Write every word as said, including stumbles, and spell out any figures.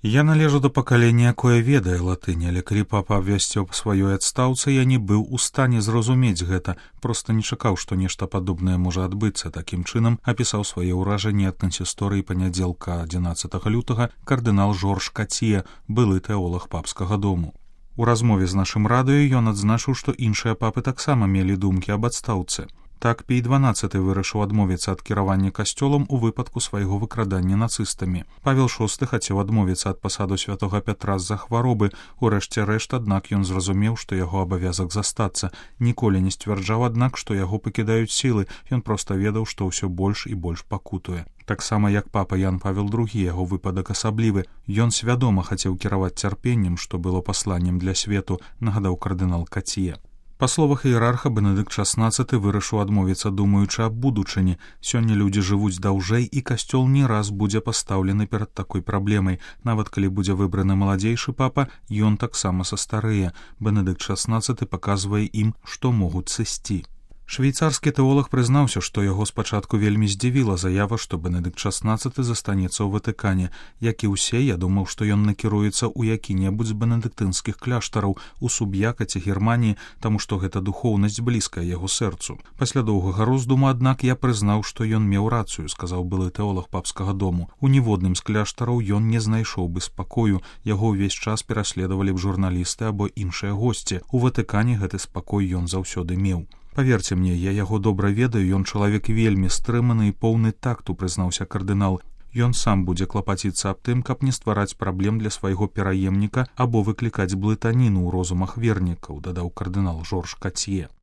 Я належу да пакалення, якое ведае латынь, але калі папа абвясціў па сваёй адстаўцы, я не быў у стане зразумець гэта, проста не чакаў, што нешта падобнае можа адбыцца. Такім чынам апісаў свае ўражанні ад кансісторыі панядзелка адзінаццатага лютага кардынал Жорж Кацье, былы тэолаг папскага дому. У размове з нашым радыё ён адзначыў, што іншыя папы таксама мелі думкі аб адстаўцы. Так Пій дванаццаты вырашыў адмовіцца ад кіравання касцёлам у выпадку свайго выкрадання нацыстамі. Павел шосты хацеў адмовіцца ад пасаду святога Пятра з-за хваробы. Урэшце рэшт, аднак ён зразумеў, што яго абавязак застацца. Ніколі не сцвярджаў, аднак, што яго пакідаюць сілы. Ён проста ведаў, што ўсё больш і больш пакутуе. Таксама як папа Ян Павел другі, яго выпадак асаблівы. Ён свядома хацеў кіраваць цярпеннем, што было пасланнем для свету, нагадаў кардынал Кацье. Па словах іерарха, Бенедыкт шаснаццаты вырашыў адмовіцца, думаючы аб будучыні. Сёння людзі жывуць даўжэй, і касцёл не раз будзе пастаўлены перад такой праблемай. Нават калі будзе выбраны маладзейшы папа, ён таксама састарэе. Бенедыкт шаснаццаты паказвае ім, што могуць сысці. Швейцарскі тэолаг прызнаўся, што яго спачатку вельмі здзівіла заява, што Бенедыкт шаснаццаты застанецца ў Ватыкане. Як і ўсе, я думаў, што ён накіруецца ў які-небудзь з бенедыктынскіх кляштараў у Суб'яка ці Германіі, таму што гэта духоўнасць блізкая яго сэрцу. Пасля доўгага роздуму, аднак, я прызнаў, што ён меў рацыю, сказаў былы тэолаг папскага дому. У ніводным з кляштараў ён не знайшоў бы спакою, яго ўвесь час пераследавалі б журналісты або іншыя госці. У Ватыкане гэты спакой ён заўсёды меў. Паверце мне, я яго добра ведаю, ён чалавек вельмі стрыманы і поўны такту, прызнаўся кардынал. Ён сам будзе клапаціцца аб тым, каб не ствараць праблем для свайго пераемніка або выклікаць блытаніну ў розумах вернікаў, дадаў кардынал Жорж Кацье.